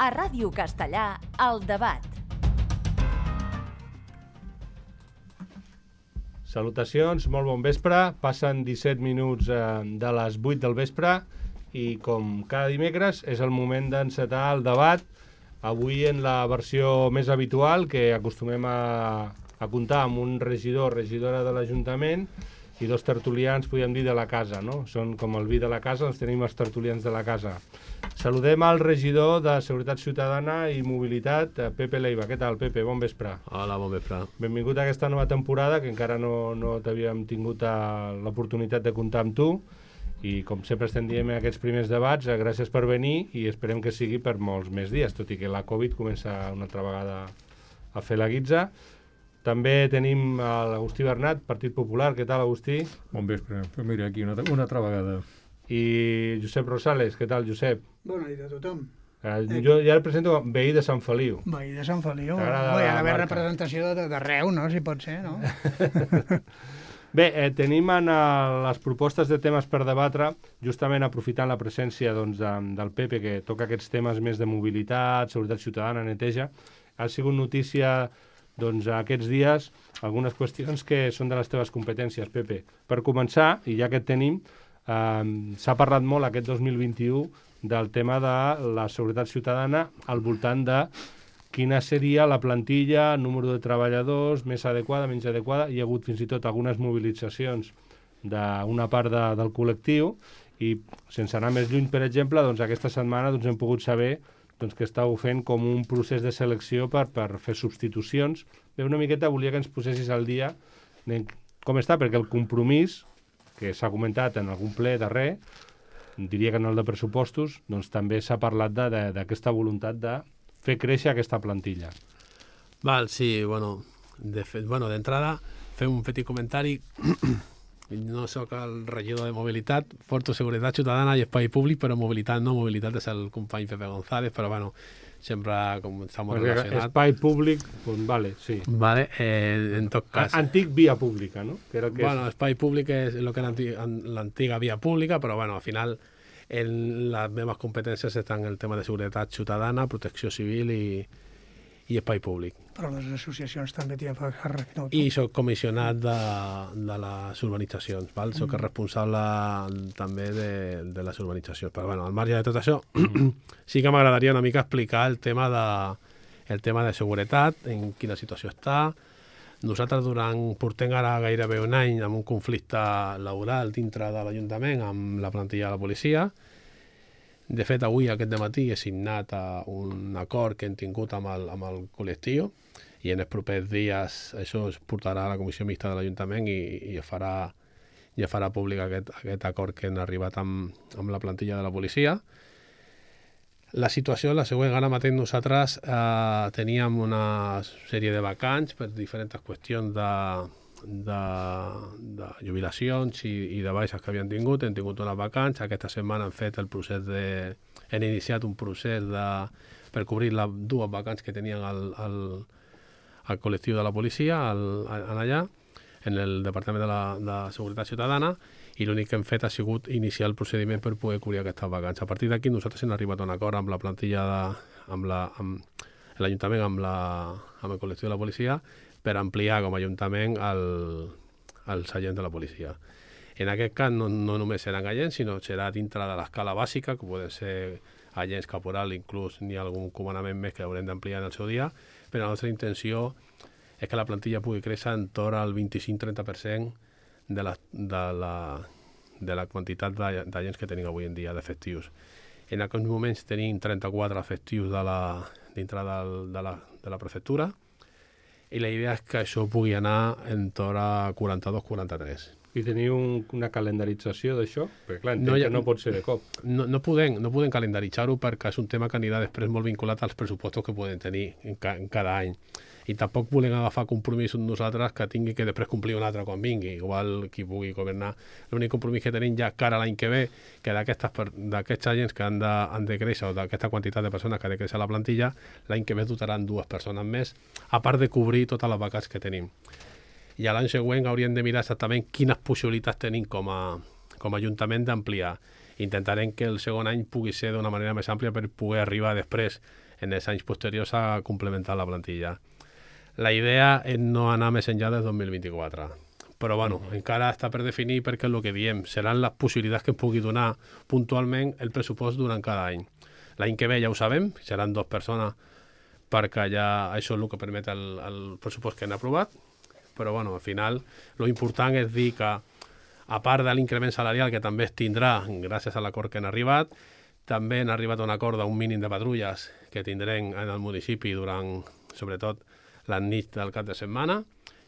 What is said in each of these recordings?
A Ràdio Castellà, El Debat. Salutacions, molt bon vespre. Passen 17 minuts de les 8 del vespre i com cada dimecres és el moment d'encetar el debat. Avui en la versió més habitual, que acostumem a comptar amb un regidor o regidora de l'Ajuntament i dos tertulians, podríem dir, de la casa, no? Són com el vi de la casa, doncs tenim els tertulians de la casa. Saludem al regidor de Seguretat Ciutadana i Mobilitat, Pepe Leiva. Què tal, Pepe? Bon vespre. Hola, bon vespre. Benvingut a aquesta nova temporada, que encara no t'havíem tingut l'oportunitat de comptar amb tu. I com sempre estem dient en aquests primers debats, gràcies per venir i esperem que sigui per molts més dies, tot i que la Covid comença una altra vegada a fer la guitza. També tenim l'Agustí Bernat, Partit Popular. Què tal, Agustí? Bon vespre. Mira, aquí una altra vegada. I Josep Rosales. Què tal, Josep? Bona nit a tothom. Jo ja el presento com veí de Sant Feliu. Veí de Sant Feliu. Hi T'agrada ha la d'haver marca. representació d'arreu, no? Si pot ser, no? Bé, tenim en les propostes de temes per debatre, justament aprofitant la presència del Pepe, que toca aquests temes més de mobilitat, seguretat ciutadana, neteja. Ha sigut notícia aquests dies algunes qüestions que són de les teves competències, Pepe. Per començar, i ja que et tenim, s'ha parlat molt aquest 2021 del tema de la seguretat ciutadana al voltant de quina seria la plantilla, número de treballadors, més adequada, menys adequada. Hi ha hagut fins i tot algunes mobilitzacions d'una part del col·lectiu i, sense anar més lluny, per exemple, aquesta setmana hem pogut saber que estàu fent com un procés de selecció per fer substitucions. Bé, una miqueta volia que ens posessis al dia com està, perquè el compromís, que s'ha comentat en algun ple darrer, diria que en el de pressupostos, també s'ha parlat d'aquesta voluntat de fer créixer aquesta plantilla. Val, sí, d'entrada, fer un petit comentari. No sóc el regidor de mobilitat, porto seguretat ciutadana i espai públic, però mobilitat és el company Pepe González, però sempre com estamos relacionats. Espai públic, doncs vale, sí. Vale, en tot cas. Antic via pública, no? Que era el que espai públic és el que era l'antiga via pública, però al final en les meves competències estan el tema de seguretat ciutadana, protecció civil i espai públic. Però les associacions també tenen càrrec, no? I soc comissionat de les urbanitzacions, val? Soc el responsable també de les urbanitzacions. Però al marge de tot això, sí que m'agradaria una mica explicar el tema de seguretat, en quina situació està. Nosaltres portem ara gairebé un any amb un conflicte laboral dintre de l'Ajuntament amb la plantilla de la policia. De fet, avui, aquest dematí, he signat un acord que hem tingut amb el col·lectiu i en els propers dies això es portarà a la Comissió Mixta de l'Ajuntament i es farà públic aquest acord que hem arribat amb la plantilla de la policia. La situació és la següent. Ara mateix nosaltres teníem una sèrie de vacants per diferents qüestions de jubilacions i de baixes que havien tingut. Hem tingut unes vacants. Aquesta setmana hem iniciat un procés per cobrir les dues vacants que tenien al col·lectiu de la policia allà, en el Departament de Seguretat Ciutadana, i l'únic que hem fet ha sigut iniciar el procediment per poder cobrir aquestes vacants. A partir d'aquí nosaltres hem arribat a un acord amb la plantilla amb l'Ajuntament, amb el col·lectiu de la policia, per ampliar com a Ajuntament els agents de la policia. En aquest cas no només seran agents, sinó serà dintre de l'escala bàsica, que poden ser agents caporal, inclús n'hi ha algun comandament més que haurem d'ampliar en el seu dia, però la nostra intenció és que la plantilla pugui créixer en torn al 25-30% de la quantitat d'agents que tenim avui en dia d'efectius. En aquests moments tenim 34 efectius dintre de la prefectura, i la idea és que això pugui anar en torn a 42-43. I teniu una calendarització d'això? Perquè clar, entenc que no pot ser de cop. No podem calendaritzar-ho perquè és un tema que anirà després molt vinculat als pressupostos que podem tenir en cada any. I tampoc volem agafar compromisos nosaltres que tingui que després complir un altre quan vingui, igual qui pugui governar. L'únic compromís que tenim ja cara a l'any que ve, que d'aquests agents que han de créixer, o d'aquesta quantitat de persones que ha de créixer la plantilla, l'any que ve dotaran 2 persones més, a part de cobrir totes les vacants que tenim. I a l'any següent hauríem de mirar exactament quines possibilitats tenim com a Ajuntament d'ampliar. Intentarem que el segon any pugui ser d'una manera més àmplia per poder arribar després en els anys posteriors s'ha complementat la plantilla. La idea és no anar més enllà del 2024. Però, bueno, encara està per definir perquè el que diem seran les possibilitats que ens pugui donar puntualment el pressupost durant cada any. L'any que ve ja ho sabem, seran 2 persones perquè ja això és el que permet el pressupost que han aprovat, però, bueno, al final, lo important és dir que, a part de l'increment salarial que també es tindrà gràcies a l'acord que han arribat, també han arribat a un acord d'un mínim de patrulles que tindrem en el municipi durant, sobretot, les nits del cap de setmana,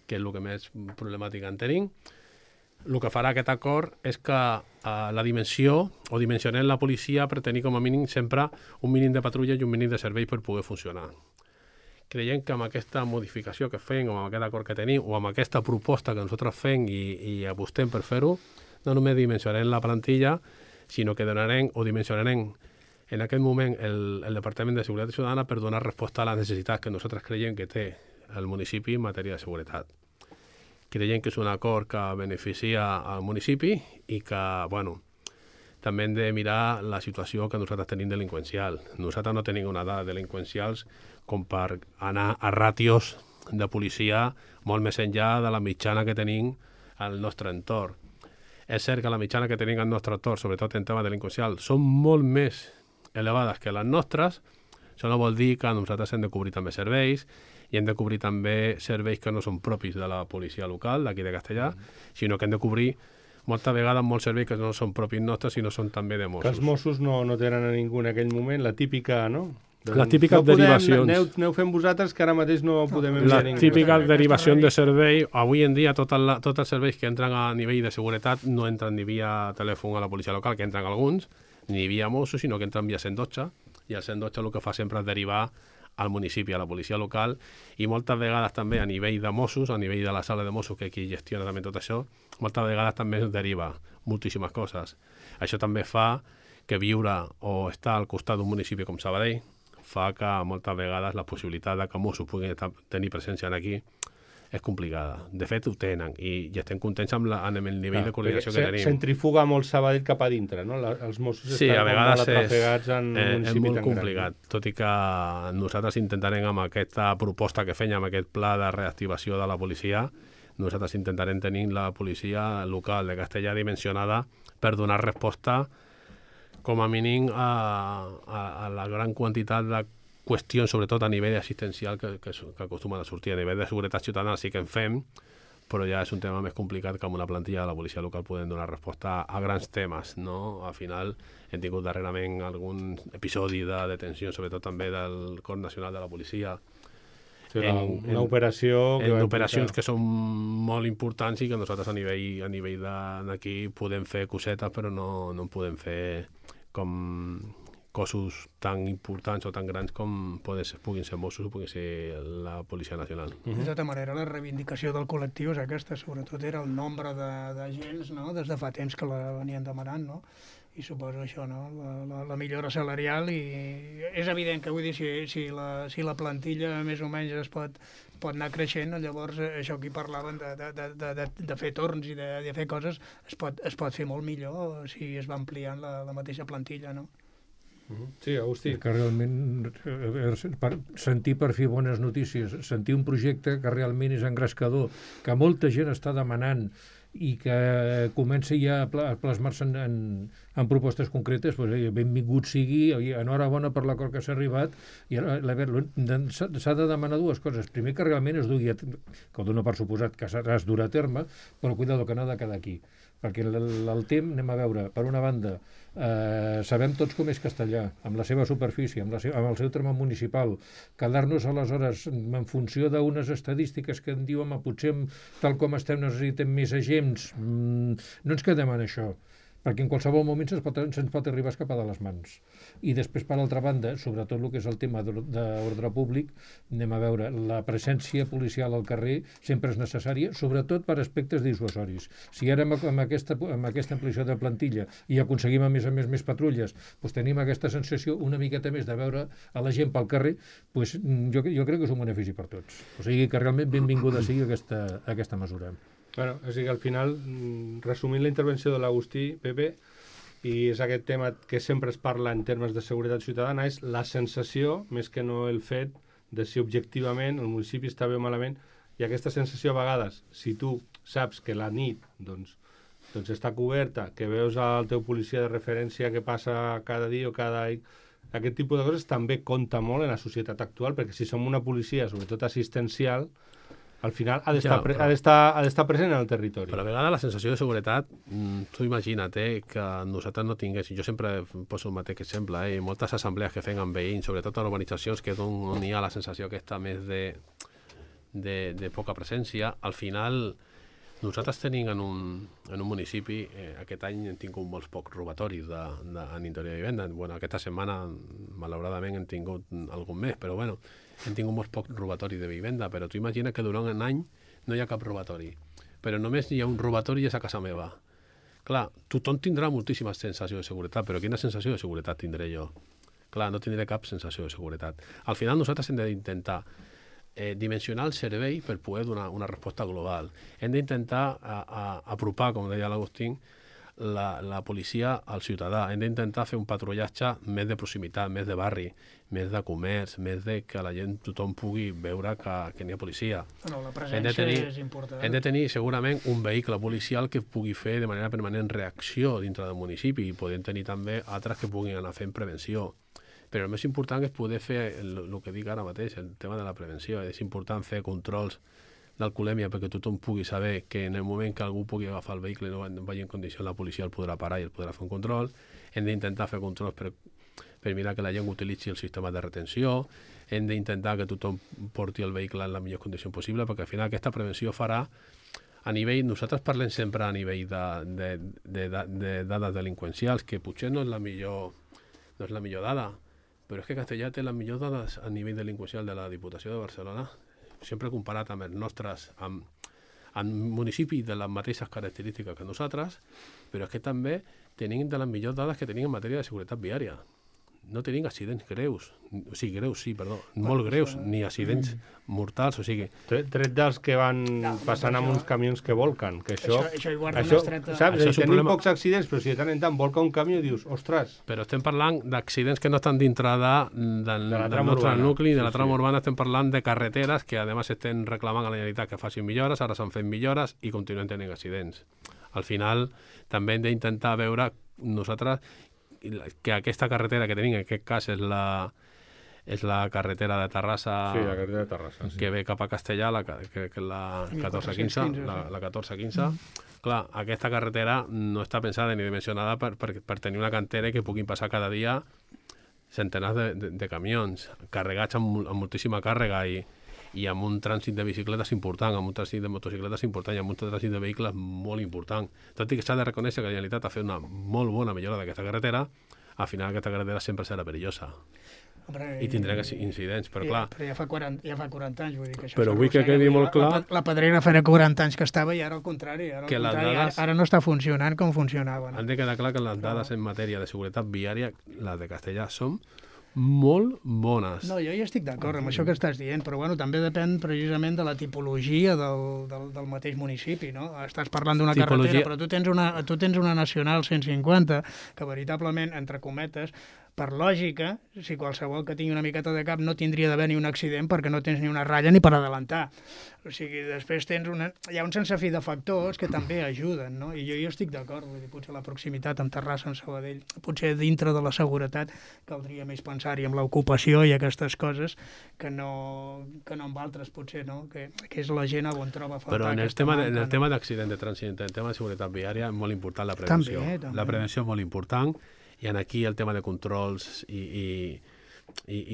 que és el que més problemàtica en tenim. El que farà aquest acord és que la dimensió, o dimensionem la policia per tenir com a mínim sempre un mínim de patrulla i un mínim de servei per poder funcionar. Creiem que amb aquesta modificació que fem, o amb aquest acord que tenim, o amb aquesta proposta que nosaltres fem i apostem per fer-ho, no només dimensionarem la plantilla, sinó que donarem o dimensionarem en aquest moment el Departament de Seguretat Ciutadana per donar resposta a les necessitats que nosaltres creiem que té el municipi en matèria de seguretat. Creiem que és un acord que beneficia al municipi i que, bueno, també hem de mirar la situació que nosaltres tenim delinqüencial. Nosaltres no tenim una dada delinqüencials com per anar a ràtios de policia molt més enllà de la mitjana que tenim al nostre entorn. És cert que la mitjana que tenim al nostre entorn, sobretot en tema delinqüencial, són molt més elevades que les nostres. Això no vol dir que nosaltres hem de cobrir també serveis i hem de cobrir també serveis que no són propis de la policia local, d'aquí de Castellà, sinó que hem de cobrir moltes vegades molts serveis que no són propis nostres, sinó són també de Mossos. Que els Mossos no tenen a ningú en aquell moment, la típica, no? Les típiques derivacions. Aneu fent vosaltres, que ara mateix no podem enviar ningú. Les típiques derivacions de servei, avui en dia tots els serveis que entren a nivell de seguretat no entren ni via telèfon a la policia local, que entren alguns, ni via Mossos, sinó que entren via 112, i el 112 el que fa sempre és derivar al municipi, a la policia local, i moltes vegades també a nivell de Mossos, a nivell de la sala de Mossos, que qui gestiona també tot això, moltes vegades també es deriva moltíssimes coses. Això també fa que viure o estar al costat d'un municipi com Sabadell fa que moltes vegades la possibilitat de que Mossos puguin tenir presència aquí és complicada. De fet, ho tenen i estem contents amb el nivell de coordinació que tenim. Centrifuga molt Sabadell cap a dintre, no? Els Mossos sí, estan a vegades molt atrafegats en un municipi és molt tan complicat, gran. tot i que nosaltres intentarem amb aquesta proposta que fèiem, amb aquest pla de reactivació de la policia, nosaltres intentarem tenir la policia local de Castellà dimensionada per donar resposta com a mínim a la gran quantitat de qüestions, sobretot a nivell assistencial, que acostumen a sortir. A nivell de seguretat ciutadana sí que en fem, però ja és un tema més complicat que amb una plantilla de la policia local podem donar resposta a grans temes, no? Al final hem tingut darrerament algun episodi de detenció, sobretot també del Cos Nacional de la Policia. Sí, una operació... En operacions que són molt importants i que nosaltres a nivell d'aquí podem fer cosetes, però no en podem fer com cossos tan importants o tan grans com puguin ser Mossos o puguin ser la Policia Nacional. De tota manera, la reivindicació del col·lectiu és aquesta, sobretot era el nombre d'agents, no? Des de fa temps que la venien demanant, no? I suposo això, no? La millora salarial, i és evident que, vull dir, si la plantilla més o menys es pot anar creixent, llavors això que hi parlaven de fer torns i de fer coses es pot fer molt millor si es va ampliant la mateixa plantilla, no? Sí, Agustí. Que realment sentir per fi bones notícies, sentir un projecte que realment és engrescador, que molta gent està demanant i que comença ja a plasmar-se en propostes concretes, doncs, benvingut sigui, enhorabona per l'acord que s'ha arribat, i s'ha de demanar dues coses. Primer, que realment es dugui, que ho dona per suposat que es durà a terme, però cuidado, que no ha de quedar aquí. Perquè el temps, anem a veure, per una banda, sabem tots com és Castellà, amb la seva superfície, amb el seu terme municipal. Quedar-nos aleshores en funció d'unes estadístiques que en diuen potser tal com estem necessitem més agents, no ens quedem en això, perquè en qualsevol moment se'ns pot arribar a escapar de les mans. I després, per altra banda, sobretot el que és el tema d'ordre públic, anem a veure, la presència policial al carrer sempre és necessària, sobretot per aspectes dissuasoris. Si ara amb aquesta ampliació de plantilla i aconseguim a més patrulles, doncs tenim aquesta sensació una miqueta més de veure a la gent pel carrer, doncs jo crec que és un benefici per tots. O sigui que realment benvinguda sigui aquesta mesura. Bueno, és a dir, al final, resumint la intervenció de l'Agustí, Pepe, i és aquest tema que sempre es parla en termes de seguretat ciutadana, és la sensació, més que no el fet, de si objectivament el municipi està bé o malament, i aquesta sensació a vegades, si tu saps que la nit doncs està coberta, que veus el teu policia de referència que passa cada dia o cada... Aquest tipus de coses també compta molt en la societat actual, perquè si som una policia, sobretot assistencial, al final ha d'estar present en el territori. Però a vegades la sensació de seguretat, tu imagina't que nosaltres no tinguéssim, jo sempre poso el mateix exemple, moltes assemblees que fem amb veïns, sobretot a urbanitzacions que on hi ha la sensació aquesta més de poca presència, al final nosaltres tenim en un municipi, aquest any hem tingut molts pocs robatoris en interior de vivenda. Bueno, aquesta setmana, malauradament, hem tingut algun més, però bueno, hem tingut molts pocs robatoris de vivenda, però tu imagina que durant un any no hi ha cap robatori, però només hi ha un robatori i és a casa meva. Clar, tothom tindrà moltíssima sensació de seguretat, però quina sensació de seguretat tindré jo? Clar, no tindré cap sensació de seguretat. Al final nosaltres hem d'intentar dimensionar el servei per poder donar una resposta global. Hem d'intentar apropar, com deia l'Agustín, la policia al ciutadà. Hem d'intentar fer un patrullatge més de proximitat, més de barri, més de comerç, més de que la gent, tothom pugui veure que n'hi ha policia. No, la presència és important. Hem de tenir segurament un vehicle policial que pugui fer de manera permanent reacció dintre del municipi i podem tenir també altres que puguin anar fent prevenció. Però el més important és poder fer el que dic ara mateix, el tema de la prevenció. És important fer controls d'alcoholèmia perquè tothom pugui saber que en el moment que algú pugui agafar el vehicle i no vagi en condició, la policia el podrà parar i el podrà fer un control. Hem d'intentar fer controls per mirar que la gent utilitzi el sistema de retenció. Hem d'intentar que tothom porti el vehicle en la millor condició possible, perquè al final aquesta prevenció farà a nivell, nosaltres parlem sempre a nivell de dades delinqüencials, que potser no és la millor dada, però és que Castellà té les millors dades a nivell delinqüencial de la Diputació de Barcelona, sempre comparat amb els nostres, amb municipis de les mateixes característiques que nosaltres, però és que també tenim de les millors dades que tenim en matèria de seguretat viària. No tenim accidents greus, molt greus, ni accidents mortals, o sigui... Tret dels que van passant amb uns camions que volquen, que això hi guarda una estreta... Saps? Tenim pocs accidents, però si de tant en tant volca un camió i dius, ostres... Però estem parlant d'accidents que no estan dintre del nostre nucli, de la trama urbana, estem parlant de carreteres que, a més, estem reclamant a la Generalitat que facin millores, ara s'han fet millores i continuen tenint accidents. Al final, també hem d'intentar veure nosaltres que aquesta carretera que tenim, en aquest cas és la carretera de Terrassa, la carretera de Terrassa, que ve cap a Castellà, que és la 1415, la 1415. Clar, aquesta carretera no està pensada ni dimensionada per tenir una cantera que puguin passar cada dia centenars de camions carregats amb moltíssima càrrega i amb un trànsit de bicicletes important, amb un trànsit de motocicletes important i amb un trànsit de vehicles molt important. Tot i que s'ha de reconèixer que la Generalitat ha fet una molt bona millora d'aquesta carretera, al final aquesta carretera sempre serà perillosa. I tindrà incidents, però clar... Però ja fa 40 anys, vull dir que això... Però vull que quedi molt clar... La Pedrera farà 40 anys que estava i ara al contrari. Ara no està funcionant com funcionava. Han de quedar clar que les dades en matèria de seguretat viària, les de Castellà, són molt bones. No, jo hi estic d'acord amb això que estàs dient, però bueno, també depèn precisament de la tipologia del mateix municipi, no? Estàs parlant d'una carretera, però tu tens una nacional 150 que veritablement, entre cometes, per lògica, si qualsevol que tingui una miqueta de cap no tindria d'haver ni un accident perquè no tens ni una ratlla ni per adelantar. O sigui, després hi ha un sense fi de factors que també ajuden, no? I jo hi estic d'acord, potser la proximitat amb Terrassa, amb Sabadell, potser dintre de la seguretat caldria més pensar-hi amb l'ocupació i aquestes coses que no amb altres, potser, no? Que és la gent on troba a faltar. Però en el tema d'accident de trànsit, en el tema de seguretat viària, és molt important la prevenció. També. La prevenció és molt important. I aquí el tema de controls i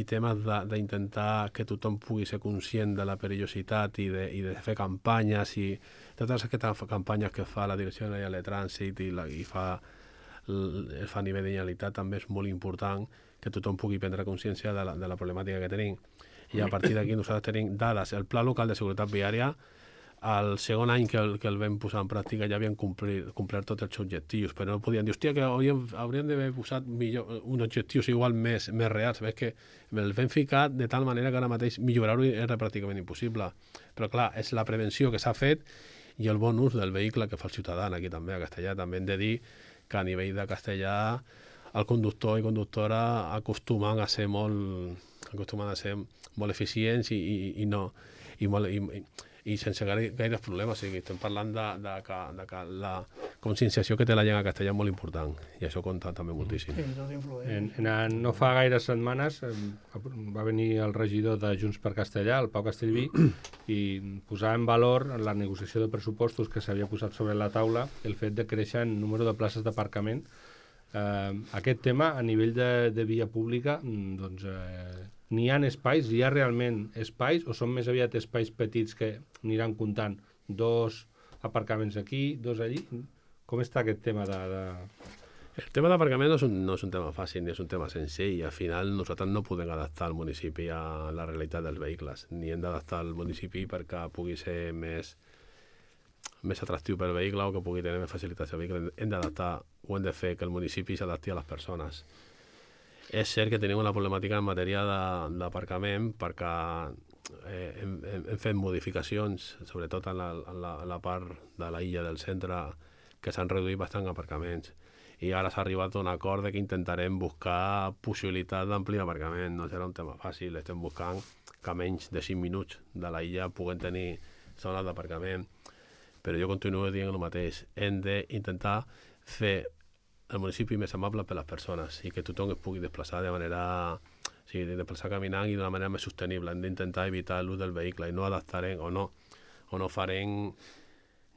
temes d'intentar que tothom pugui ser conscient de la perillositat i de fer campanyes i totes aquestes campanyes que fa la Direcció General de Trànsit i fa a nivell de Generalitat també és molt important que tothom pugui prendre consciència de la problemàtica que tenim. I a partir d'aquí nosaltres tenim dades. El Pla Local de Seguretat Viària, el segon any que el vam posar en pràctica ja havien complert tots els objectius, però no podien dir, hòstia, que hauríem d'haver posat uns objectius igual més reals. Ves que el vam ficar de tal manera que ara mateix millorar-ho era pràcticament impossible. Però clar, és la prevenció que s'ha fet i el bon ús del vehicle que fa el ciutadà aquí també, a Castellà. També hem de dir que a nivell de castellà el conductor i conductora acostumen a ser molt eficients i sense gaires problemes. O sigui, estem parlant de que la conscienciació que té la gent a castellà és molt important i això compta també moltíssim. Sí, tot influeix. No fa gaires setmanes va venir el regidor de Junts per Castellà, el Pau Castellví, i posava en valor en la negociació de pressupostos que s'havia posat sobre la taula el fet de créixer en número de places d'aparcament. Aquest tema, a nivell de via pública, doncs n'hi ha espais, hi ha realment espais o són més aviat espais petits que aniran comptant 2 aparcaments aquí, 2 allí? Com està aquest tema El tema d'aparcament no és un tema fàcil ni és un tema senzill. Al final nosaltres no podem adaptar el municipi a la realitat dels vehicles, ni hem d'adaptar el municipi perquè pugui ser més atractiu per al vehicle o que pugui tenir més facilitats al vehicle. Hem d'adaptar o hem de fer que el municipi s'adapti a les persones. És cert que tenim una problemàtica en matèria d'aparcament perquè hem fet modificacions, sobretot en la part de la illa del centre, que s'han reduït bastant aparcaments. I ara s'ha arribat a un acord de que intentarem buscar possibilitat d'ampliar aparcament. No serà un tema fàcil, estem buscant que menys de 5 minuts de la illa puguen tenir zones d'aparcament. Però jo continuo dient el mateix. Hem d'intentar fer el municipi més amable per a les persones i que tothom es pugui desplaçar de manera... O sigui, desplaçar caminant i d'una manera més sostenible. Hem d'intentar evitar l'ús del vehicle i no adaptarem o no farem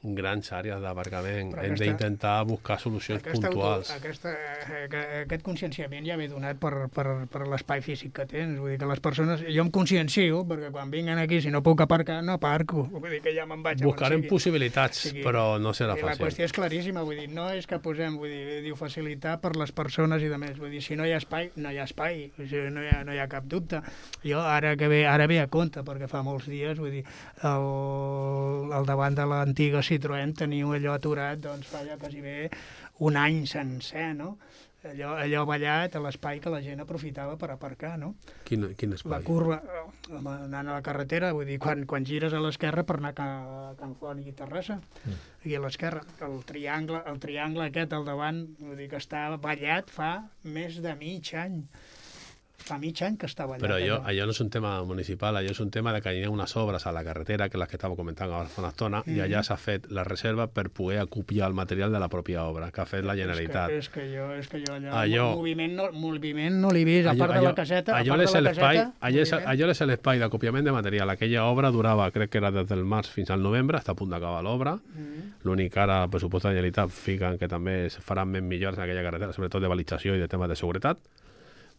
grans àrees d'aparcament. Hem d'intentar buscar solucions puntuals. Aquest conscienciament ja ve donat per l'espai físic que tens. Vull dir que les persones... Jo em consciencio, perquè quan vinguen aquí, si no puc aparcar, no aparco. Vull dir que ja me'n vaig. Buscarem possibilitats, però no serà fàcil. La qüestió és claríssima, vull dir, no és que posem, diu facilitar per les persones i de més. Vull dir, si no hi ha espai, no hi ha espai. O sigui, no hi ha cap dubte. Jo ara ve a compte, perquè fa molts dies, vull dir, al davant de l'antiga Citroën teniu allò aturat, doncs fa ja quasi bé un any sencer, no? Allò ballat a l'espai que la gent aprofitava per aparcar, no? Quin espai? La curva, anant a la carretera, vull dir, quan gires a l'esquerra per anar a Can Font i Terrassa, i a l'esquerra, el triangle aquest al davant, vull dir que està ballat fa més de mig any. Fa mig any que està ballat. Però allò no és un tema municipal, allò és un tema de que hi ha unes obres a la carretera, que les que estava comentant ara fa una estona, i allà s'ha fet la reserva per poder acopiar el material de la pròpia obra, que ha fet la Generalitat. És que jo allò moviment no l'he vist, a part de la caseta. Allò és l'espai d'acopiament de material. Aquella obra durava, crec que era des del març fins al novembre, està a punt d'acabar l'obra. L'únic que ara el pressupost de la Generalitat fiquen que també es faran més millores en aquella carretera, sobretot de balització i de temes de seguretat.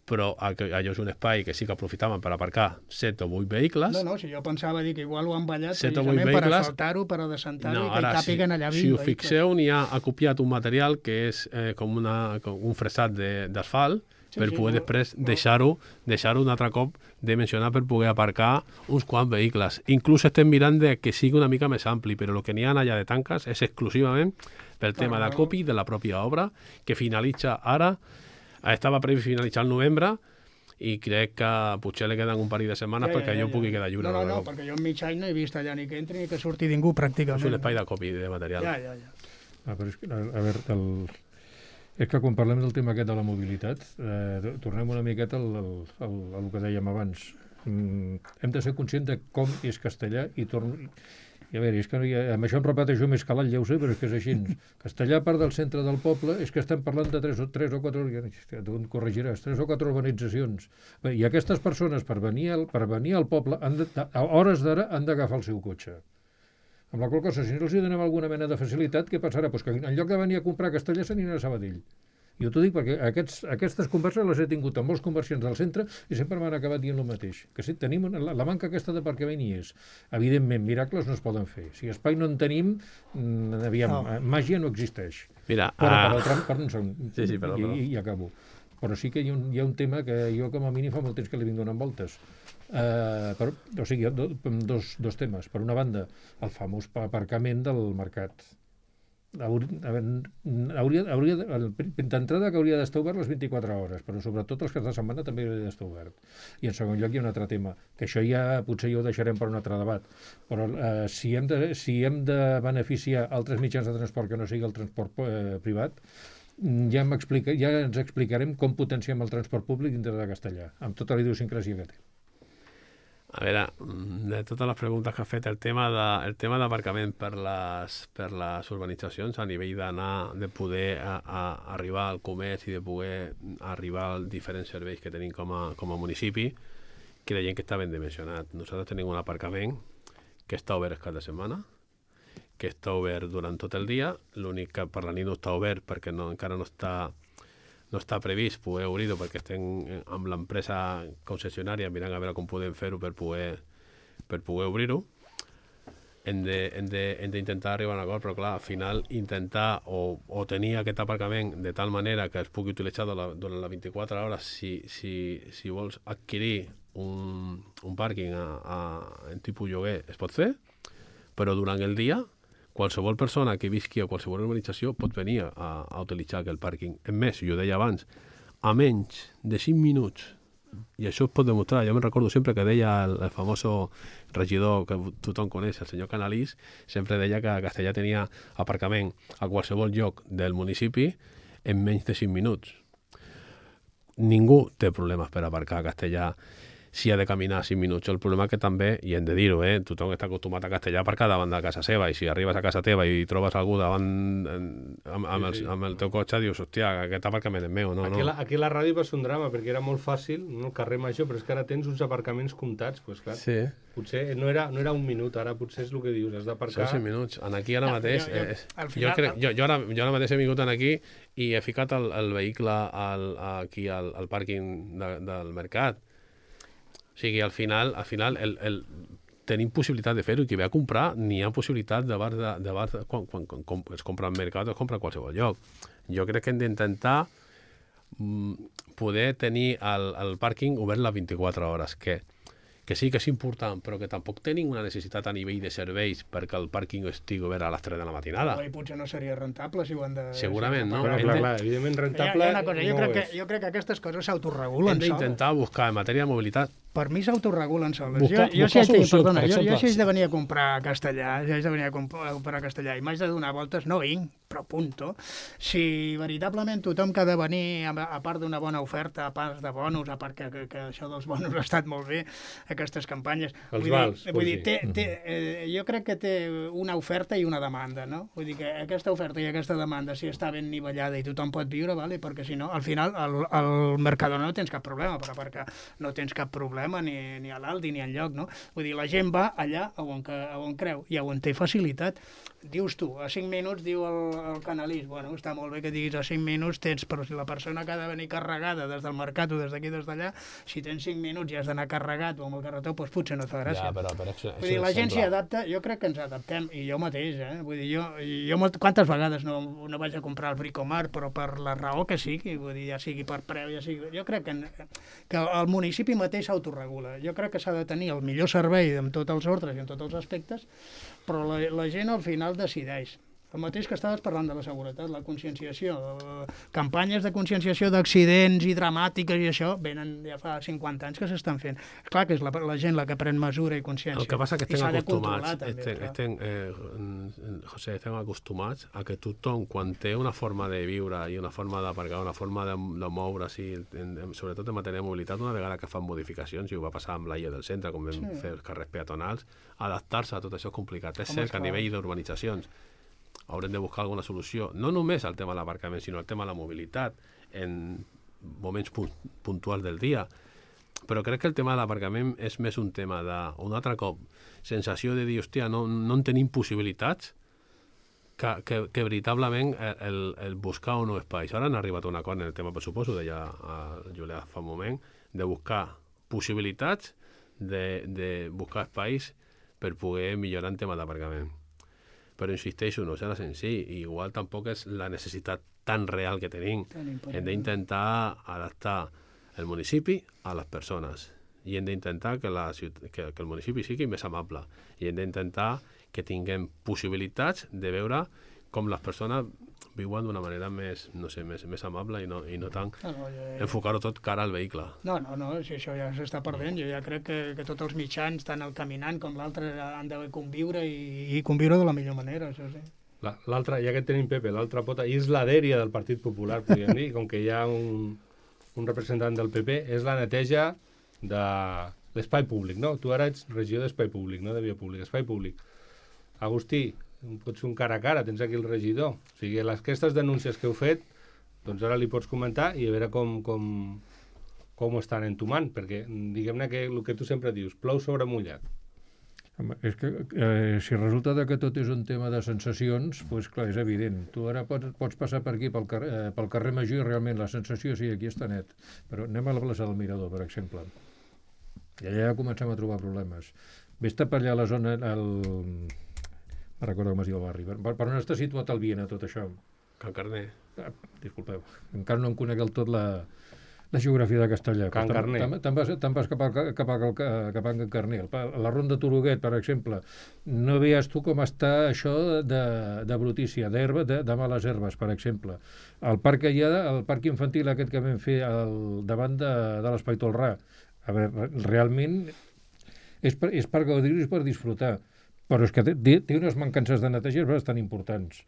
Però allò és un espai que sí que aprofitaven per aparcar 7 o 8 vehicles. No, si jo pensava dir que igual ho han ballat precisament per asfaltar-ho, per adescentar-ho i que hi càpiguen allà 20 vehicles. Si us fixeu, n'hi ha acopiat un material que és com un fresat d'asfalt per poder després deixar-ho un altre cop dimensionar per poder aparcar uns quants vehicles. Inclús estem mirant que sigui una mica més ampli, però el que n'hi ha allà de tanques és exclusivament pel tema d'acopi de la pròpia obra, que finalitza ara. Estava previst finalitzar el novembre i crec que potser li queden un parell de setmanes perquè allò pugui quedar lliure. No, perquè jo en mig any no he vist allà ni que entri ni que surti ningú pràcticament. És un espai d'acopi de material. Ja. Però és que, a veure, és que quan parlem del tema aquest de la mobilitat, tornem una miqueta al que dèiem abans. Hem de ser conscients de com és Castellà i a veure, és que amb això em repeteixo més calat, ja ho sé, però és que és així. Castellà, a part del centre del poble, és que estem parlant de 3 o 4 urbanitzacions. Bé, i aquestes persones, per venir al poble, a hores d'ara han d'agafar el seu cotxe. Amb la qual cosa, si no els donem alguna mena de facilitat, què passarà? Pues que en lloc de venir a comprar a Castellà, s'aniran a Sabadell. Jo t'ho dic perquè aquestes converses les he tingut amb molts comerciants del centre i sempre m'han acabat dient el mateix. Que sí, tenim la manca aquesta d'aparcament hi és. Evidentment, miracles no es poden fer. Si espai no en tenim, màgia no existeix. Mira, perdó un segon. Sí, perdó. I acabo. Però sí que hi ha un tema que jo com a mínim fa molt temps que li vinc donant voltes. O sigui, dos temes. Per una banda, el famós aparcament del mercat. D'entrada que hauria d'estar obert les 24 hores, però sobretot els caps de setmana també hauria d'estar obert. I en segon lloc hi ha un altre tema, que això ja potser ho deixarem per un altre debat, però si hem de beneficiar altres mitjans de transport que no sigui el transport privat, ja ens explicarem com potenciem el transport públic dintre de Castellà, amb tota la idiosincràsia que té. A veure, de totes les preguntes que ha fet, el tema d'aparcament per les urbanitzacions a nivell de poder arribar al comerç i de poder arribar als diferents serveis que tenim com a municipi, creiem que està ben dimensionat. Nosaltres tenim un aparcament que està obert el cap de setmana, que està obert durant tot el dia, l'únic que per la nit no està obert perquè encara no està previst poder obrir-ho perquè estem amb l'empresa concessionària mirant a veure com podem fer-ho per poder obrir-ho. Hem d'intentar arribar a un acord, però clar, al final intentar o tenir aquest aparcament de tal manera que es pugui utilitzar durant les 24 hores si vols adquirir un pàrquing en tipus lloguer es pot fer, però durant el dia qualsevol persona que visqui a qualsevol urbanització pot venir a utilitzar aquell pàrquing. És més, jo deia abans, a menys de 5 minuts, i això es pot demostrar, jo me'n recordo sempre que deia el famós regidor que tothom coneix, el senyor Canalís, sempre deia que Castellà tenia aparcament a qualsevol lloc del municipi en menys de 5 minuts. Ningú té problemes per aparcar a Castellà si ha de caminar 5 minuts. El problema que també, i hem de dir-ho, tothom està acostumat a Castellà a aparcar davant de casa seva, i si arribes a casa teva i trobes algú davant amb el teu cotxe, dius, hòstia, aquest aparcament és meu, no? Aquí a la ràdio va ser un drama, perquè era molt fàcil, no, el carrer Major, però és que ara tens uns aparcaments comptats, doncs clar, sí. Potser no era un minut, ara potser és el que dius, has d'aparcar... Són 5 minuts. Aquí ara mateix... Jo ara mateix he vingut aquí i he ficat el vehicle aquí al pàrquing del mercat. O sigui, al final tenim possibilitat de fer-ho, i qui ve a comprar n'hi ha possibilitat quan es compra al mercat o es compra a qualsevol lloc. Jo crec que hem d'intentar poder tenir el pàrquing obert les 24 hores, que sí que és important, però que tampoc tenim una necessitat a nivell de serveis perquè el pàrquing estigui obert a les 3 de la matinada. I potser no seria rentable si ho han de... Segurament, no? Però clar, evidentment rentable... Jo crec que aquestes coses s'autoregulen. Hem d'intentar buscar en matèria de mobilitat. Per mi s'autoregulen soles. Jo si haig de venir a comprar a Castellà, i m'haig de donar voltes, no vinc, però punto. Si veritablement tothom que ha de venir, a part d'una bona oferta, a part de bonus, a part que això dels bonus ha estat molt bé, aquestes campanyes... Jo crec que té una oferta i una demanda, no? Vull dir que aquesta oferta i aquesta demanda, si està ben nivellada i tothom pot viure, vale? Perquè si no, al final, al Mercadona no tens cap problema, perquè no tens cap problema ni a l'Aldi ni enlloc, no? Vull dir, la gent va allà on creu i on té facilitat. Dius tu, a 5 minuts, diu el Canalís, bueno, està molt bé que diguis a 5 minuts tens, però si la persona que ha de venir carregada des del mercat o des d'aquí, des d'allà, si tens 5 minuts i has d'anar carregat o amb el carretó, doncs potser no et fa gràcia. Ja, però vull dir, la gent s'hi adapta, jo crec que ens adaptem, i jo mateix, vull dir, jo quantes vegades no vaig a comprar el Bricomart, però per la raó que sigui, vull dir, ja sigui per preu, ja sigui... Jo crec que el municipi mateix s'autoregula. Jo crec que s'ha de tenir el millor servei amb tots els ordres i en tots els aspectes, però la gent al final decideix. El mateix que estaves parlant de la seguretat, la conscienciació, campanyes de conscienciació d'accidents i dramàtiques i això, venen ja fa 50 anys que s'estan fent. És clar que és la gent la que pren mesura i consciència. El que passa que estem acostumats, José, estem acostumats a que tothom, quan té una forma de viure i una forma d'aparcar, una forma de moure's, sobretot en matèria de mobilitat, una vegada que fan modificacions, i ho va passar amb l'Aia del Centre, com vam fer els carrers peatonals, adaptar-se a tot això és complicat. És cert que a nivell d'urbanitzacions haurem de buscar alguna solució, no només al tema de l'aparcament, sinó al tema de la mobilitat en moments puntuals del dia. Però crec que el tema de l'aparcament és més un tema d'un altre cop, sensació de dir, hòstia, no en tenim possibilitats, que veritablement el buscar o no espais. Ara han arribat a un acord en el tema pressupost, ho deia el Julià fa un moment, de buscar possibilitats, de buscar espais per poder millorar el tema d'aparcament. Però insisteixo, no serà senzill, i igual tampoc és la necessitat tan real que tenim. Hem d'intentar adaptar el municipi a les persones, i hem d'intentar que el municipi sigui més amable, i hem d'intentar que tinguem possibilitats de veure com les persones viuen d'una manera més, no sé, més amable i no tant enfocar-ho tot cara al vehicle. No, si això ja s'està perdent. Jo ja crec que tots els mitjans, tant el caminant com l'altre, han de conviure i conviure de la millor manera, això sí. L'altra, ja que tenim Pepe, l'altra pota, és la dèria del Partit Popular, podríem dir, com que hi ha un representant del PP, és la neteja de l'espai públic, no? Tu ara ets regidor d'espai públic, no de via pública, espai públic. Agustí, pots fer un cara a cara, tens aquí el regidor. O sigui, aquestes denúncies que heu fet, doncs ara li pots comentar i a veure com ho estan entomant, perquè diguem-ne que el que tu sempre dius, plou sobre mullat. Home, és que si resulta que tot és un tema de sensacions, doncs clar, és evident. Tu ara pots passar per aquí, pel carrer Major, i realment la sensació, sí, aquí està net. Però anem a la plaça del Mirador, per exemple. I allà ja comencem a trobar problemes. Vés-te per allà a la zona... No recordo com es diu el barri. Per on està situat el Viena, tot això? Can Carner. Disculpeu, encara no em conec del tot la geografia de Castellà. Can Carner. Te'n vas cap a Can Carner. La Ronda Turuguet, per exemple. No veies tu com està això de brutícia, d'herba, de males herbes, per exemple. El parc que hi ha, el parc infantil aquest que vam fer davant de l'Espai Tolrà. A veure, realment és per gaudir-ho i per disfrutar. Però és que té unes mancances de neteja bastant importants.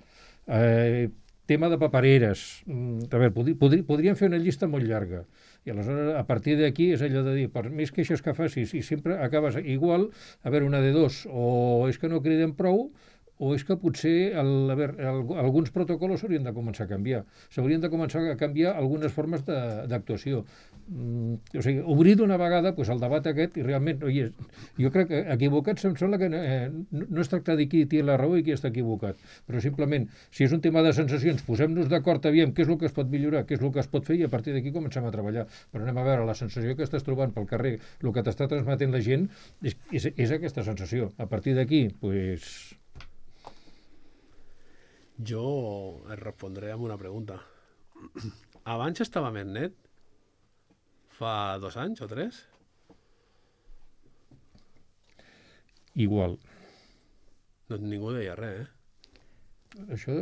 Tema de papereres. A veure, podríem fer una llista molt llarga. I aleshores, a partir d'aquí, és allò de dir, per més queixes que facis, i sempre acabes igual, a veure, una de dos, o és que no criden prou, o és que potser alguns protocols s'haurien de començar a canviar. S'haurien de començar a canviar algunes formes d'actuació. O sigui, obrir d'una vegada el debat aquest, i realment, jo crec que equivocat em sembla que no es tracta de qui té la raó i qui està equivocat, però simplement, si és un tema de sensacions, posem-nos d'acord, aviam què és el que es pot millorar, què és el que es pot fer, i a partir d'aquí comencem a treballar. Però anem a veure, la sensació que estàs trobant pel carrer, el que t'està transmetent la gent, és aquesta sensació. A partir d'aquí, doncs... Jo et respondré amb una pregunta. Abans estava més net? Fa 2 anys o 3? Igual. Doncs ningú deia res, eh? Això...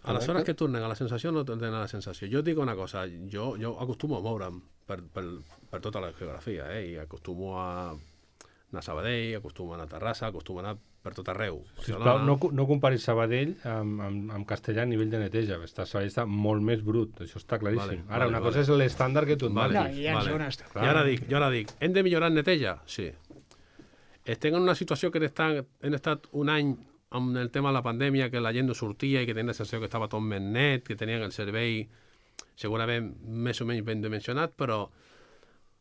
Aleshores que tornen a la sensació o no tornen a la sensació? Jo et dic una cosa, jo acostumo a moure'm per tota la geografia, i acostumo a anar a Sabadell, acostumo a anar a Terrassa, acostumo a anar per tot arreu. Sisplau, no comparis Sabadell amb Castellà a nivell de neteja. Sabadell està molt més brut, això està claríssim. Ara, una cosa és l'estàndard que tu et marques. Jo ara dic, hem de millorar en neteja? Sí. Estem en una situació que hem estat un any amb el tema de la pandèmia, que la gent no sortia i que tenia la sensació que estava tot més net, que tenien el servei segurament més o menys ben dimensionat, però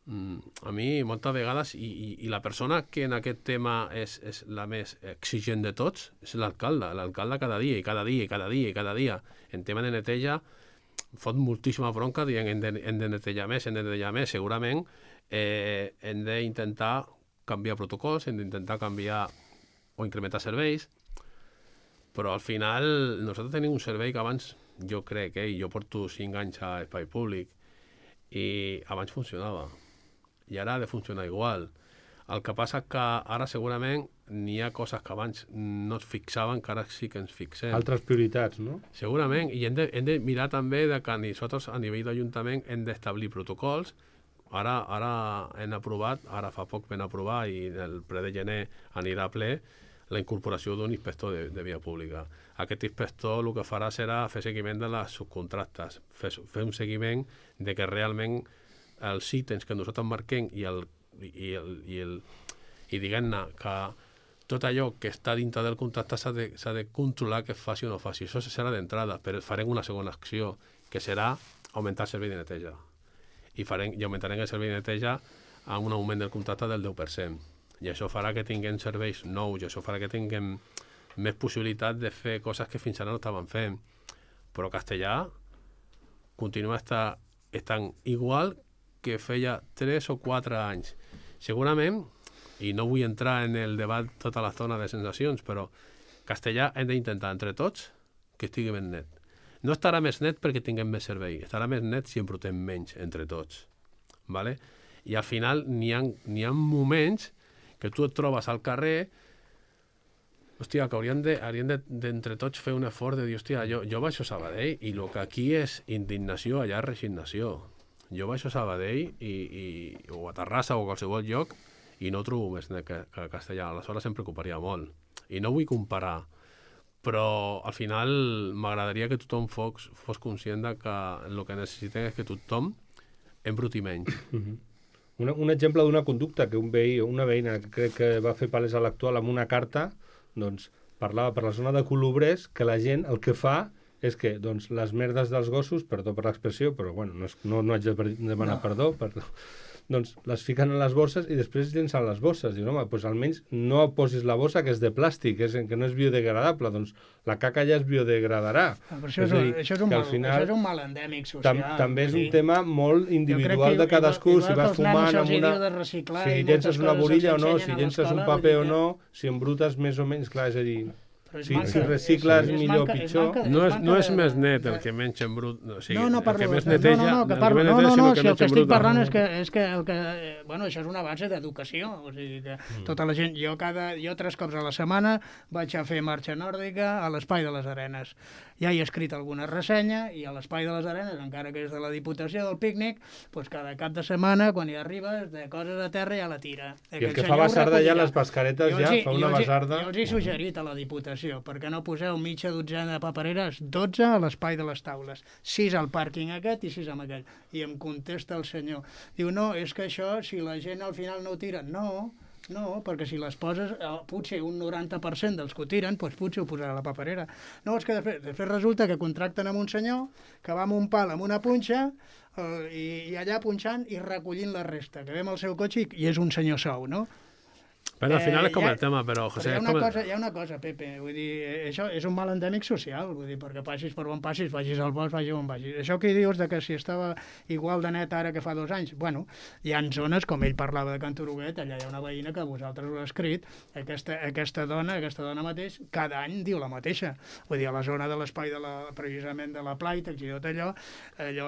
a mi moltes vegades, i la persona que en aquest tema és la més exigent de tots és l'alcalde cada dia i cada dia i cada dia i cada dia en tema de neteja fot moltíssima bronca dient hem de netejar més, segurament hem d'intentar canviar protocols, hem d'intentar canviar o incrementar serveis, però al final nosaltres tenim un servei que abans, jo crec, jo porto 5 anys a espai públic i abans funcionava i ara ha de funcionar igual. El que passa que ara segurament n'hi ha coses que abans no es fixaven, que ara sí que ens fixem. Altres prioritats, no? Segurament, i hem de mirar també que nosaltres a nivell d'Ajuntament hem d'establir protocols. Ara hem aprovat, ara fa poc vam aprovar, i el ple de gener anirà a ple, la incorporació d'un inspector de via pública. Aquest inspector el que farà serà fer seguiment de les subcontractes, fer un seguiment de que realment els ítems que nosaltres marquem i diguem-ne que tot allò que està dintre del contracte s'ha de controlar que es faci o no faci. Això serà d'entrada, però farem una segona acció, que serà augmentar el servei de neteja. I augmentarem el servei de neteja amb un augment del contracte del 10%. I això farà que tinguem serveis nous, i això farà que tinguem més possibilitat de fer coses que fins ara no estaven fent. Però Castellà continua estant igual que feia 3 o 4 anys. Segurament, i no vull entrar en el debat tota l'estona de sensacions, però Castellà hem d'intentar entre tots que estigui més net. No estarà més net perquè tinguem més servei, estarà més net si en portem menys entre tots. ¿Vale? I al final n'hi ha moments que tu et trobes al carrer, hòstia, que hauríem d'entre tots fer un esforç de dir, hòstia, jo baixo a Sabadell i el que aquí és indignació, allà és resignació. Jo baixo a Sabadell o a Terrassa o a qualsevol lloc i no trobo més net que Castellà. Aleshores em preocuparia molt. I no vull comparar, però al final m'agradaria que tothom fos conscient de que el que necessitem és que tothom embruti menys. Un exemple d'una conducta que una veïna que crec que va fer palès a l'actual amb una carta, doncs parlava per la zona de Colobrers que la gent el que fa és que doncs, les merdes dels gossos, perdó per l'expressió, però bueno, no haig de demanar perdó, doncs les fiquen en les bosses i després llencen les bosses. Diuen, home, doncs almenys no posis la bossa que és de plàstic, que no és biodegradable, doncs la caca ja es biodegradarà. Però això és un mal endèmic social. També és un tema molt individual de cadascú, si vas fumant amb una... Si llences una borilla o no, si llences un paper o no, si embrutes més o menys, clar, és a dir... Si recicles millor o pitjor... No és més net el que menys embrut... O sigui, el que més neteja... No, si el que estic parlant és que el que... Bueno, això és una base d'educació. O sigui que tota la gent... Jo 3 cops a la setmana vaig a fer marxa nòrdica a l'Espai de les Arenes. Ja he escrit alguna ressenya i a l'Espai de les Arenes, encara que és de la Diputació del pícnic, doncs cada cap de setmana, quan hi arribes, de coses a terra ja la tira. I el que fa basarda ja, les bascaretes ja, fa una basarda... Jo els he suggerit a la Diputació, perquè no poseu mitja dotzena de papereres, 12 a l'Espai de les Taules, 6 al pàrquing aquest i 6 amb aquell. I em contesta el senyor, diu, no, és que això, si la gent al final no ho tira, no, perquè si les poses, potser un 90% dels que ho tiren, doncs potser ho posarà a la paperera. No, és que després resulta que contracten amb un senyor que va amb un pal amb una punxa i allà punxant i recollint la resta, que ve amb el seu cotxe i és un senyor sou, no? Però al final és com el tema, però, José... Hi ha una cosa, Pepe, vull dir, això és un mal endèmic social, vull dir, perquè passis per on passis, vagis al bosc, vagis on vagis. Això que dius de que si estava igual de net ara que fa 2 anys, bueno, hi ha zones, com ell parlava de Can Turuguet, allà hi ha una veïna que vosaltres ho heu escrit, aquesta dona mateix, cada any diu la mateixa. Vull dir, a la zona de l'espai precisament de la Plaitex i tot allò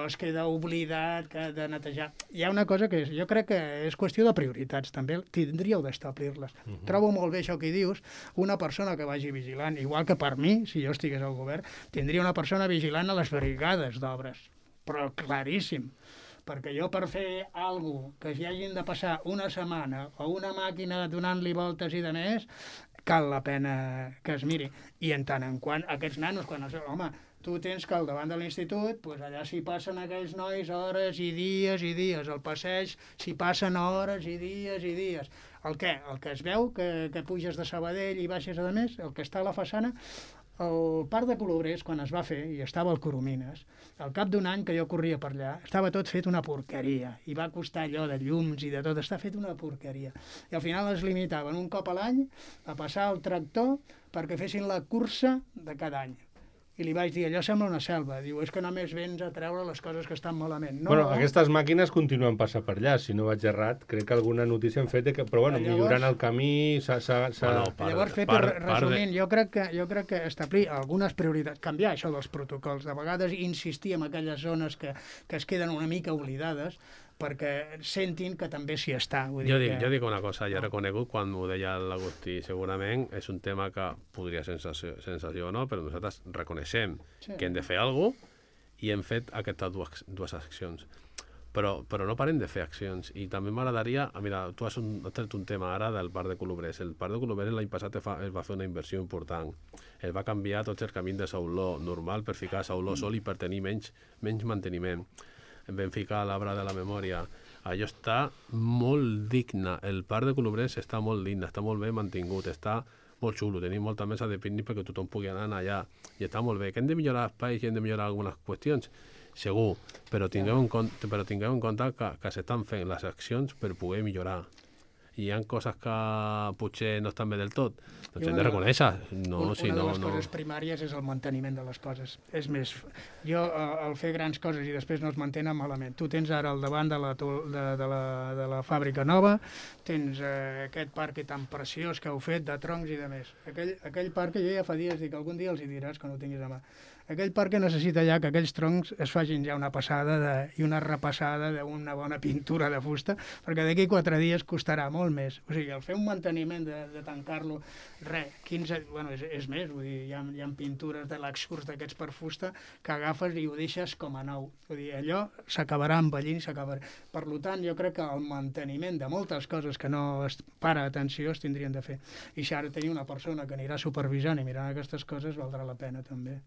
es queda oblidat de netejar. Hi ha una cosa que jo crec que és qüestió de prioritats, també tindríeu d'establir-les. Trobo molt bé això que dius, una persona que vagi vigilant, igual que per mi, si jo estigués al govern, tindria una persona vigilant a les brigades d'obres, però claríssim, perquè jo per fer alguna cosa que s'hi hagin de passar una setmana o una màquina donant-li voltes i de més, cal la pena que es miri. I en tant en quant aquests nanos, home, tu tens que al davant de l'institut, doncs allà s'hi passen aquells nois hores i dies, al passeig s'hi passen hores i dies. El què? El que es veu, que puges de Sabadell i baixes a més, el que està a la façana, el parc de Colobrers, quan es va fer, i estava al Coromines, al cap d'un any que jo corria per allà, estava tot fet una porqueria, i va costar allò de llums i de tot, està fet una porqueria. I al final es limitaven un cop a l'any a passar el tractor perquè fessin la cursa de cada any. I li vaig dir, allò sembla una selva. Diu, és que només vens a treure les coses que estan malament. No, bueno, aquestes màquines continuen passant per allà, si no vaig errat. Crec que alguna notícia hem fet, però bueno, millorant el camí... Llavors, Pepe, resumint, jo crec que establir algunes prioritats, canviar això dels protocols, de vegades insistir en aquelles zones que es queden una mica oblidades, perquè sentin que també s'hi està. Jo dic una cosa, ja he reconegut quan ho deia l'Agustí, segurament és un tema que podria ser sensació o no, però nosaltres reconeixem que hem de fer alguna cosa i hem fet aquestes dues accions. Però no parem de fer accions. I també m'agradaria... Mira, tu has tret un tema ara del parc de Colobrers. El parc de Colobrers l'any passat es va fer una inversió important. Es va canviar tots els camins de sauló normal per ficar sauló sol i per tenir menys manteniment. Vam ficar l'arbre de la memòria. Allò està molt digne. El parc de Colobrers està molt digne, està molt bé mantingut, està molt xulo. Tenim molta mesa de pícnic perquè tothom pugui anar allà. I està molt bé. Que hem de millorar espais i hem de millorar algunes qüestions? Segur, però tingueu en compte que s'estan fent les accions per poder millorar. I hi ha coses que potser no estan bé del tot, doncs hem de reconèixer. Una de les coses primàries és el manteniment de les coses. És més, jo al fer grans coses i després no es mantenen malament. Tu tens ara al davant de la fàbrica nova, tens aquest parc tan preciós que heu fet de troncs i de més. Aquell parc que jo ja fa dies dic, algun dia els hi diràs que no ho tinguis a mà. Aquell parc que necessita ja que aquells troncs es facin ja una passada i una repassada d'una bona pintura de fusta, perquè d'aquí 4 dies costarà molt més. O sigui, el fer un manteniment de tancar-lo, 15, bueno, és més, vull dir, hi ha pintures de l'excurs d'aquests per fusta que agafes i ho deixes com a nou. Vull dir, allò s'acabarà envellint, s'acabarà. Per tant, jo crec que el manteniment de moltes coses que no es para atenció es tindrien de fer. I si ara tenir una persona que anirà supervisant i mirant aquestes coses valdrà la pena també.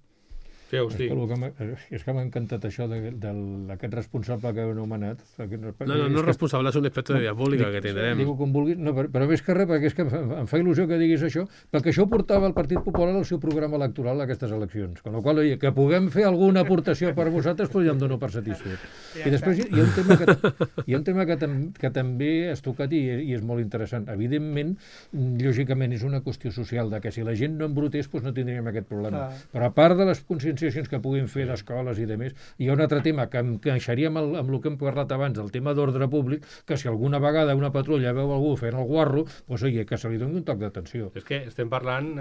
És que m'ha encantat això d'aquest responsable que heu anomenat. No és responsable, és un inspector de via pública que tindrem. Diu com vulguis, no, però més que res, perquè és que em fa il·lusió que diguis això, perquè això ho portava el Partit Popular al seu programa electoral a aquestes eleccions. Con la qual cosa, que puguem fer alguna aportació per vosaltres, doncs ja em dono per satisfet. I després hi ha un tema que també has tocat i és molt interessant. Evidentment, lògicament, és una qüestió social, de que si la gent no embrutés, doncs no tindríem aquest problema. Però a part de les conscienciacions que puguin fer d'escoles i de més, hi ha un altre tema que encaixaríem amb el que hem parlat abans, el tema d'ordre públic, que si alguna vegada una patrulla veu algú fent el guarro, doncs oye, que se li doni un toc d'atenció. És que estem parlant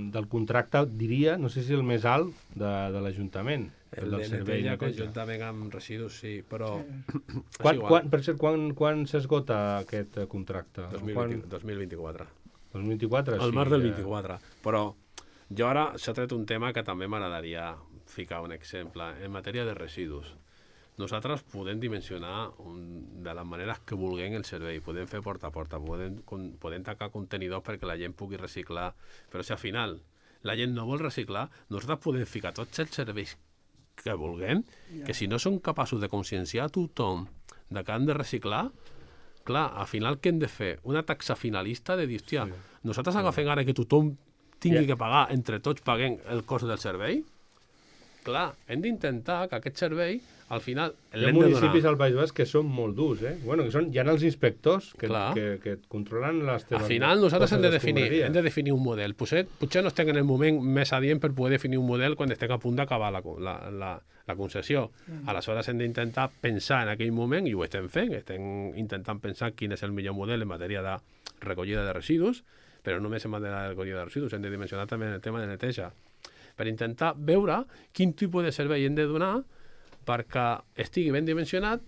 del contracte, diria, no sé si el més alt de l'Ajuntament. El del servei conjuntament amb residus, sí, però... Per cert, quan s'esgota aquest contracte? 2024. 2024, sí. El març del 24. Però jo ara s'ha tret un tema que també m'agradaria ficar un exemple. En matèria de residus, nosaltres podem dimensionar de les maneres que vulguem el servei, podem fer porta a porta, podem tancar contenidors perquè la gent pugui reciclar, però si al final la gent no vol reciclar, nosaltres podem ficar tots els serveis que vulguem, que si no som capaços de conscienciar a tothom de que han de reciclar, clar, al final què hem de fer? Una taxa finalista de dir, hòstia, nosaltres agafem ara que tothom tingui que pagar, entre tots paguem el cost del servei? Clar, hem d'intentar que aquest servei, al final, l'hem de donar. Hi ha municipis al País Basc que són molt durs, Bueno, hi ha els inspectors que et controlen les teves... Al final, nosaltres hem de definir un model. Potser no estem en el moment més adient per poder definir un model quan estem a punt d'acabar la concessió. Aleshores, hem d'intentar pensar en aquell moment, i ho estem fent, estem intentant pensar quin és el millor model en matèria de recollida de residus, però no només en matèria de recollida de residus, hem de dimensionar també el tema de neteja, per intentar veure quin tipus de servei hem de donar perquè estigui ben dimensionat,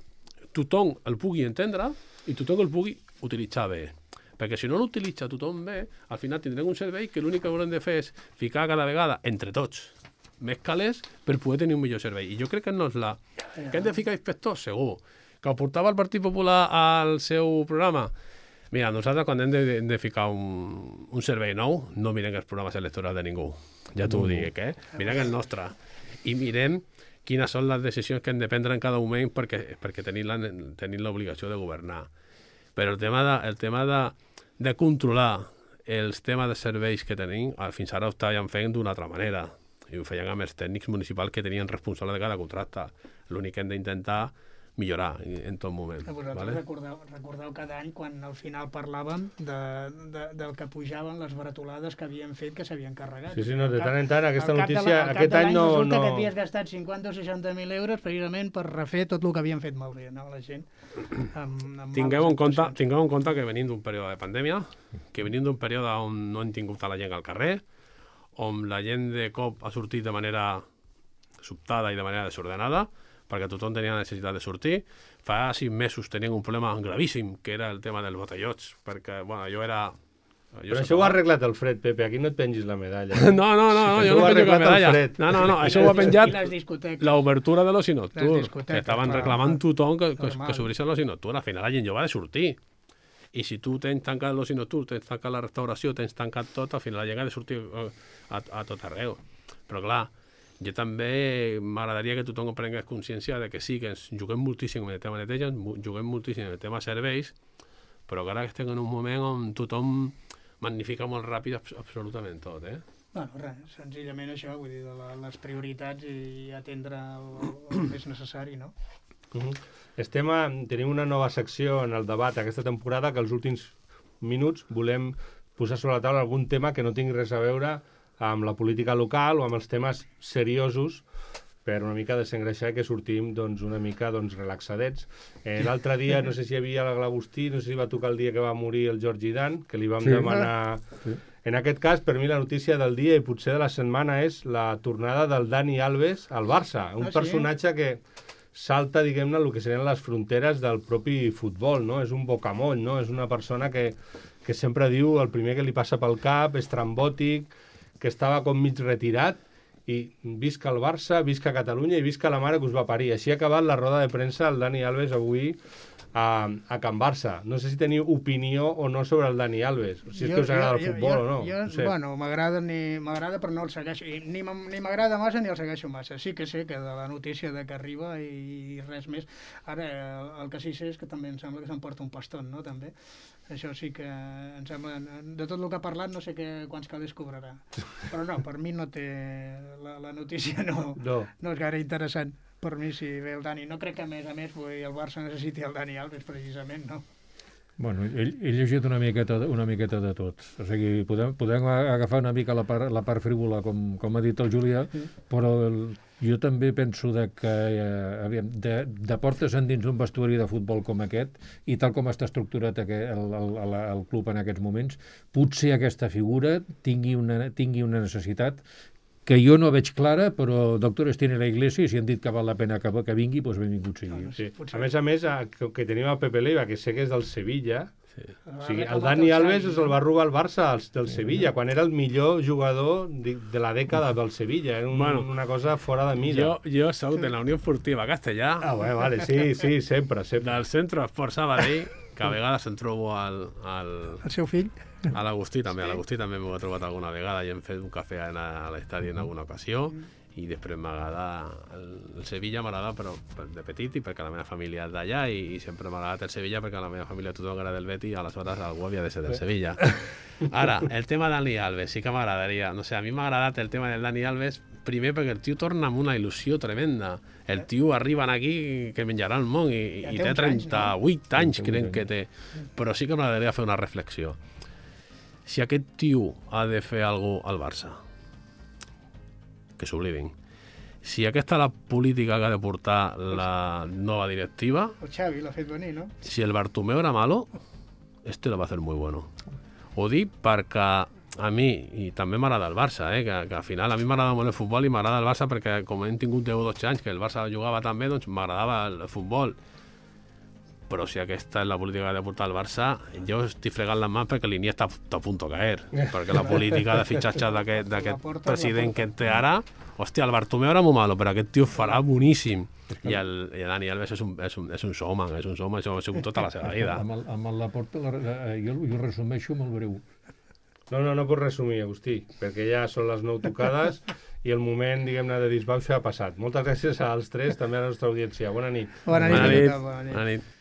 tothom el pugui entendre i tothom el pugui utilitzar bé. Perquè si no l'utilitza tothom bé, al final tindrem un servei que l'únic que haurem de fer és ficar cada vegada, entre tots, més calés per poder tenir un millor servei. I jo crec que no és que hem de ficar inspectors, segur. Que ho portava el Partit Popular al seu programa. Mira, nosaltres quan hem de ficar un servei nou, no mirem els programes electorals de ningú. Ja t'ho dic, Mirem el nostre. I mirem quines són les decisions que hem de prendre en cada moment perquè tenim l'obligació de governar. Però el tema de controlar els temes de serveis que tenim, fins ara ho estàvem fent d'una altra manera. I ho feien amb els tècnics municipals que tenien responsable de cada contracte. L'únic que hem d'intentar millorar en tot moment. Vosaltres recordeu cada any quan al final parlàvem del que pujaven les baratolades que havien fet que s'havien carregat. Sí, no, de tant en tant aquesta notícia aquest any no... Resulta que havies gastat 50 o 60.000 euros precisament per refer tot el que havien fet malbé, no? La gent. Tingueu en compte que venim d'un període de pandèmia, que venim d'un període on no hem tingut a la gent al carrer, on la gent de cop ha sortit de manera sobtada i de manera desordenada, perquè tothom tenia necessitat de sortir. Fa 6 mesos tenien un problema gravíssim, que era el tema dels botellots, perquè, bueno, jo era... Però això ho ha arreglat el Fred, Pepe, aquí no et pengis la medalla. No, jo no penjo la medalla. No, això ho ha penjat l'obertura de l'oci nocturn, que estaven reclamant tothom que s'obreixen l'oci nocturn. Al final la gent jove ha de sortir. I si tu tens tancat l'oci nocturn, tens tancat la restauració, tens tancat tot, al final la gent ha de sortir a tot arreu. Però clar, jo també m'agradaria que tothom prengués consciència de que sí, que ens juguem moltíssim en el tema neteja, juguem moltíssim en el tema serveis, però que ara estem en un moment on tothom magnifica molt ràpid absolutament tot, Bueno, res, senzillament això, vull dir, de les prioritats i atendre el més necessari, no? Tenim una nova secció en el debat aquesta temporada que els últims minuts volem posar sobre la taula algun tema que no tingui res a veure amb la política local o amb els temes seriosos per una mica desengreixar i que sortim doncs, una mica doncs, relaxadets. L'altre dia, no sé si hi havia l'Agustí, no sé si va tocar el dia que va morir el Jordi Dan, que li vam demanar... Sí. En aquest cas, per mi, la notícia del dia i potser de la setmana és la tornada del Dani Alves al Barça, un personatge que salta, diguem-ne, el que serien les fronteres del propi futbol, no? És un bocamoll, no? És una persona que sempre diu el primer que li passa pel cap, és trambòtic, que estava com mig retirat, i visca el Barça, visca Catalunya i visca la mare que us va parir. Així ha acabat la roda de premsa el Dani Alves avui a Can Barça. No sé si teniu opinió o no sobre el Dani Alves, si és que us agrada el futbol o no. No sé. Bueno, m'agrada però no el segueixo. Ni m'agrada massa ni el segueixo massa. Sí que sé que de la notícia de que arriba i res més. Ara, el que sí sé és que també em sembla que s'emporta un paston, no? També. Això sí que em sembla... De tot el que ha parlat no sé quants calés cobrarà. Però no, per mi no té... La notícia no és gaire interessant. Per mi, si ve el Dani. No crec que, a més, el Barça necessiti el Dani Alves, precisament, no? Bueno, he llegit una miqueta de tot. O sigui, podem agafar una mica la part frívola, com ha dit el Julià, però jo també penso que de portes endins d'un vestuari de futbol com aquest, i tal com està estructurat el club en aquests moments, potser aquesta figura tingui una necessitat que jo no veig clara, però doctores tiene la Iglesia i si han dit que val la pena que vingui, doncs benvingut sigui. Sí. A més, que tenim a Pepe Leiva, que sé que és del Sevilla, o sigui, el Dani Alves el va robar el Barça del Sevilla, quan era el millor jugador de la dècada del Sevilla. Era una cosa fora de mida. Jo soc de la Unió Esportiva Castellà. Ah, bueno, vale, sí, sempre. Del Centro Esport Sabadell, que a vegades em trobo al seu fill. A l'Agustí també, m'ho he trobat alguna vegada i hem fet un cafè a l'estadi en alguna ocasió, i després m'agrada el Sevilla, m'agrada però de petit i perquè la meva família és d'allà, i sempre m'ha agradat el Sevilla perquè a la meva família tothom agrada del Betis i aleshores algú havia de ser del Sevilla. Ara, el tema de Dani Alves sí que m'agradaria, no sé, a mi m'ha agradat el tema del Dani Alves, primer perquè el tio torna amb una il·lusió tremenda. El tio arriba aquí que menjarà el món i té 38 anys, crec que té, però sí que m'agradaria fer una reflexió. Si aquest tio ha de fer alguna cosa al Barça, que s'oblidin. Si aquesta és la política que ha de portar la nova directiva... El Xavi l'ha fet venir, no? Si el Bartomeu era malo, lo va a hacer muy bueno. Ho dic perquè a mi, i també m'agrada el Barça, que al final a mi m'agrada molt el futbol i m'agrada el Barça perquè com hem tingut 10 o 12 anys que el Barça jugava tan bé, doncs m'agradava el futbol. Però si aquesta és la política que ha de portar el Barça, jo estic fregant les mans perquè l'Iniesta està a punt de caer. Perquè la política de fitxatge d'aquest president que té ara, hòstia, el Bartomeu era molt malo, però aquest tio farà boníssim. I el Dani Alves és un showman, això ha sigut tota la seva vida. Amb el Laporta jo resumeixo molt breu. No pots resumir, Agustí, perquè ja són les 9 tocades i el moment, diguem-ne, de disbauxa ha passat. Moltes gràcies als tres, també a la nostra audiència. Bona nit. Bona nit.